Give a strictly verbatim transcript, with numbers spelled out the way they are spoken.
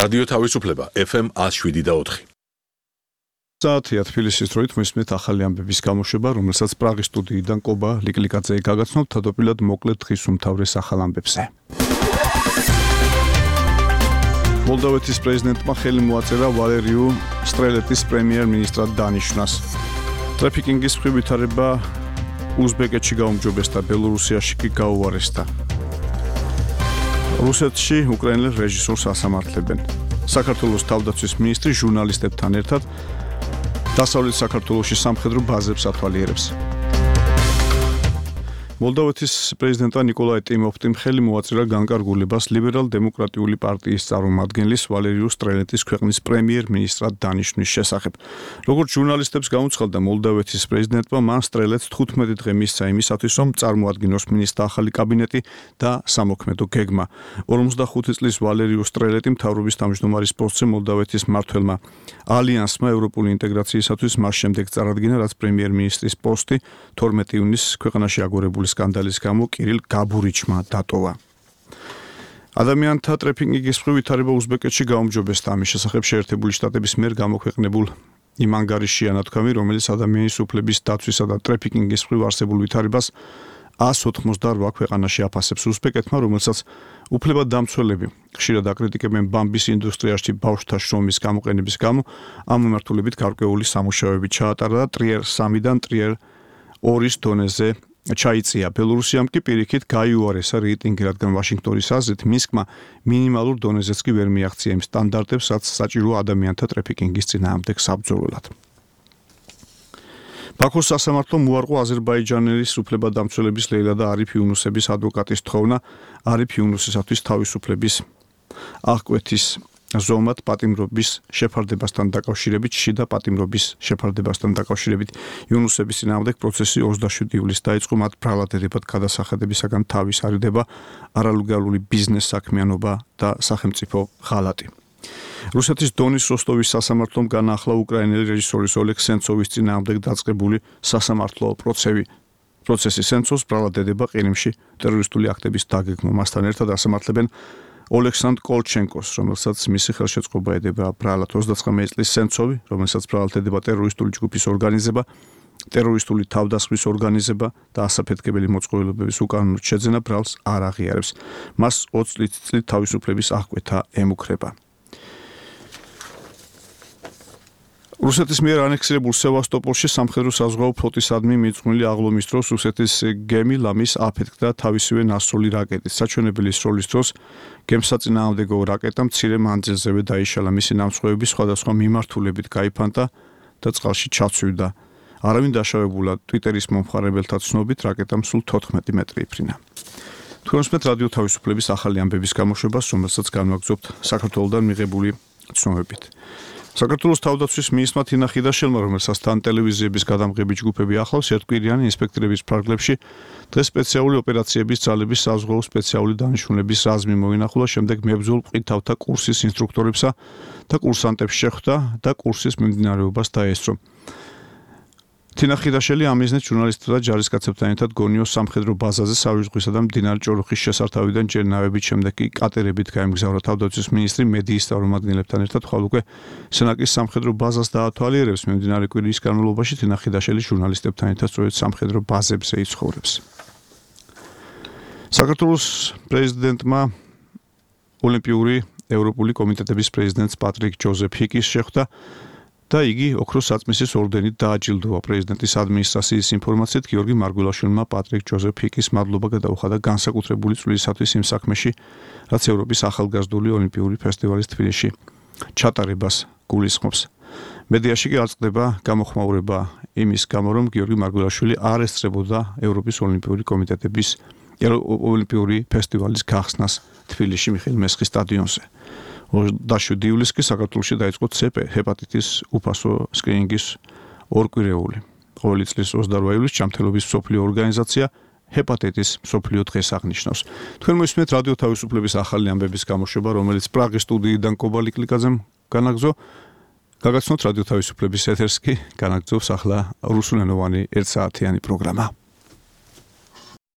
რადიო თავისუფლება ეფ ემ one oh seven და four. საათია თბილისის დროით მისმენთ ახალი ამბების გამოშვება, რომელსაც პრაღის სტუდიიდან კობა ლიკლიკაძე გაგაცნობთ თავდაპირველად მოკლედ დღის უმთავრეს ახალ ამბებზე. მოლდოვეთის პრეზიდენტმა ხელი მოაწერა ვალერიუ სტრელეტის პრემიერ-მინისტრად დანიშვნას. ტრაფიკინგის მხრივ ვითარება უზბეკეთში გაუმჯობესდა, ბელორუსიაში კი გაუარესდა. რუსეთში უკრაინელ რეჟისორს ასამართლებენ. საქართველოს თავდაცვის მინისტრი ჟურნალისტებთან ერთად დასავლეთ საქართველოში სამხედრო ბაზებს ათვალიერებს. მოლდოვეთის პრეზიდენტმა ნიკოლაი ტიმოფტიმ ხელი მოაწერა განკარგულებას ლიბერალ-დემოკრატიული პარტიის წარმომადგენლის ვალერიუ სტრელეტის ქვეყნის პრემიერ-მინისტრად დანიშვნის შესახებ. როგორც ჟურნალისტებს გაუცხადდა მოლდოვეთის პრეზიდენტმა, მან სტრელეტს თხუთმეტი დღე მისცა იმისათვის, რომ წარმოადგინოს მინისტრთა ახალი კაბინეტი და სამოქმედო გეგმა. ორმოცდახუთი წლის ვალერიუ სტრელეტი მთავრობის თავმჯდომარის პოსტზე მოლდოვეთის მმართველმა ალიანსმა ევროპული ინტეგრაციისათვის მას შემდეგ წარადგინა, რაც პრემიერ-მინისტრის პოსტი თორმეტი ივნისს ქვეყანაში აგორებული სკანდალის გამო კირილ გაბურიჩმა დატოვა. ადამიანთა ტრაფიკინგის მხრივ ვითარება უზბეკეთში გაუმჯობესდა. ამის შესახებ შეერთებული შტატების მიერ გამოქვეყნებულ იმ ანგარიშში ანათქვამი, რომელიც ადამიანის უფლების დაცვისა და ტრაფიკინგის მხრივ არსებულ ვითარებას one hundred eighty-eight ქვეყანაში აფასებს. უზბეკეთმა, რომელსაც უფლებადამცველები ხშირად აკრიტიკებენ ბამბის ინდუსტრიაში ბავშვთა შრომის გამოყენების გამო, ამ მიმართულებით გარკვეული სამუშაოები ჩაატარა და ტრიერ სამიდან ტრიერ ორის დონეზე ჩაიწია. ბელორუსიამ კი პირიქით გაიუარესა რეიტინგი, რადგან ვაშინგტონის აზრით მინსკმა მინიმალურ დონეზეც კი ვერ მიაღწია იმ სტანდარტებს, რაც საჭიროა ადამიანთა ტრაფიკინგის წინააღმდეგ საბრძოლველად. ბაქოს სასამართლომ უარყო აზერბაიჯანის უფლებადამცველების ლეილა და არიფ იუნუსების ადვოკატის თხოვნა არიფ იუნუსისათვის თავისუფლების აღკვეთის ზომად პატიმრობის შეფარდებასთან დაკავშირებით, შიდა პატიმრობის შეფარდებასთან დაკავშირებით იუნუსების წინააღმდეგ პროცესი ოცდაშვიდი ივლისს დაიწყო, მათ ბრალადერებად გადასახადებისაგან თავის არიდება არალეგალური ბიზნეს საქმიანობა და სახელმწიფო ღალატი. რუსეთის დონის როსტოვის სასამართლომ განაახლა უკრაინელი რეჟისორის ოლეგ სენცოვის წინააღმდეგ დაწყებული სასამართლო პროცესი. პროცესი სენცოვს ბრალადერება ყირიმში ტერორისტული აქტების დაგეგმვა. მასთან ერთად ასამართლებენ ოლექსანდრ კოლჩენკოს, რომელსაც მისი ხელშეწყობა ედება ბრალად. ოცდაცხრამეტი წლის სენცოვი, რომელსაც ბრალად ედება ტერორისტული ჯგუფის ორგანიზება, ტერორისტული თავდასხმის ორგანიზება და ასაფეთქებელი მოწყობილობების უკანონო შეძენა ბრალს არ აღიარებს. მას ოცი წლით თავისუფლების აღკვეთა ემუქრება. რუსეთის მიერ ანექსირებულ სევასტოპოლში სამხედრო საზღვაო ფლოტისადმი მიძღვნილი აღლომის დროს რუსეთის გემი ლამის აფეთქდა თავისივე ნასროლი რაკეტით. საჩვენებელი სროლის დროს გემსაწინააღმდეგო რაკეტა მცირე მანძილზევე დაიშალა. მისი ნამსხვრევები სხვადასხვა მიმართულებით გაიფანტა და წყალში ჩაცვივდა. არავინ დაშავებულა. ტვიტერის მომხმარებელთა ცნობით რაკეტამ სულ თოთხმეტი მეტრი იფრინა. თქვენ უსმენთ რადიო თავისუფლების ახალი ამბების გამოშვებას, რომელსაც განვაგრძობთ საქართველოსდან მიღებული ცნობებით. საქართველოს თავდაცვის მინისტრმა თინა ხიდაშელმა, რომელსაც თან ტელევიზიების გადამღები ჯგუფები ახლავს, ერთკვირიანი ინსპექტორების პრაგლებში დღეს სპეციალური ოპერაციების ძალების საზღვაო სპეციალური დანიშნულების რაზმი მოინახულა, შემდეგ მებრძოლ მყინთავთა კურსის ინსტრუქტორებსა და კურსანტებს შეხვდა და კურსის მიმდინარეობას დაესწრო. თინა ხიდაშელი ამ მიზნით ჟურნალისტთა და ჯარისკაცებთან ერთად გონიოს სამხედრო ბაზაზე სავი ზღვისა და მდინარე ჭოროხის შესართავიდან ჯერ ნავებით, შემდეგ კი კატერებით გაემგზავრა. თავდაცვის მინისტრი მედიის წარმომადგენლებთან ერთად ხვალ უკვე სენაკის სამხედრო ბაზას დაათვალიერებს. მიმდინარე კვირის განმავლობაში თინა ხიდაშელი ჟურნალისტებთან ერთად სწორედ სამხედრო ბაზებზე იცხოვრებს. საქართველოს პრეზიდენტმა ოლიმპიური ევროპული კომიტეტების პრეზიდენტს პატრიკ ჯოზეფ ჰიკის შეხვდა და იგი ოქროს საწმისის ორდენით დააჯილდოვა. პრეზიდენტის ადმინისტრაციის ინფორმაციით გიორგი მარგველაშვილმა პატრიკ ჯოზეფ ჰიკის მადლობა გადაუხადა განსაკუთრებული წვლილისათვის იმ საქმეში, რაც ევროპის ახალგაზრდული ოლიმპიური ფესტივალის თბილისში ჩატარებას გულისხმობს. მედიაში კი აწყდება გამოხმაურება იმის გამო, რომ გიორგი მარგველაშვილი არ ესწრებოდა ევროპის ოლიმპიური კომიტეტების ოლიმპიური ფესტივალის გახსნას თბილისში მიხეილ მესხის სტადიონზე. ოცდაშვიდი ივლისს კი საქართველოში დაიწყო ცეპ ჰეპატიტის უფასო სკრინინგის ორკვირეული. ყოველი წლის ოცდარვა ივლისს ჯანმრთელობის მსოფლიო ორგანიზაცია ჰეპატიტის მსოფლიო დღეს აღნიშნავს. თქვენ მოისმენთ რადიო თავისუფლების ახალი ამბების გამოშვება, რომელიც პრაღის სტუდიიდან კობა ლიკლიკაძემ განაგზო. გაგაცნოთ რადიო თავისუფლების ეთერს კი განაგზობს ახლა რუსულენოვანი ერთსაათიანი პროგრამა.